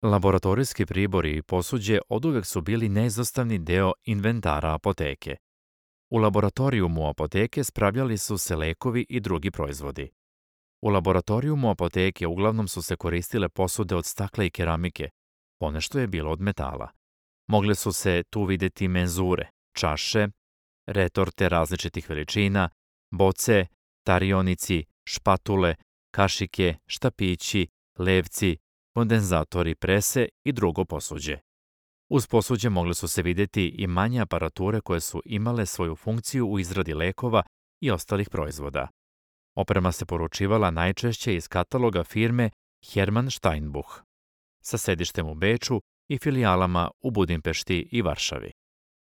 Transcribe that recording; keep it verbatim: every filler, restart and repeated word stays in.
Laboratorijski pribori i posuđe oduvek su bili neizostavni deo inventara apoteke. U laboratorijumu apoteke spravljali su se lekovi i drugi proizvodi. U laboratorijumu apoteke uglavnom su se koristile posude od stakla i keramike, ponešto je bilo od metala. Mogle su se tu videti menzure, čaše, retorte različitih veličina, boce, tarionici, špatule, kašike, štapići, levci, kondenzatori prese i drugo posuđe. Uz posuđe mogle su se videti i manje aparature koje su imale svoju funkciju u izradi lekova i ostalih proizvoda. Oprema se poručivala najčešće iz kataloga firme Hermann Steinbuch, sa sedištem u Beču i filijalama u Budimpešti i Varšavi.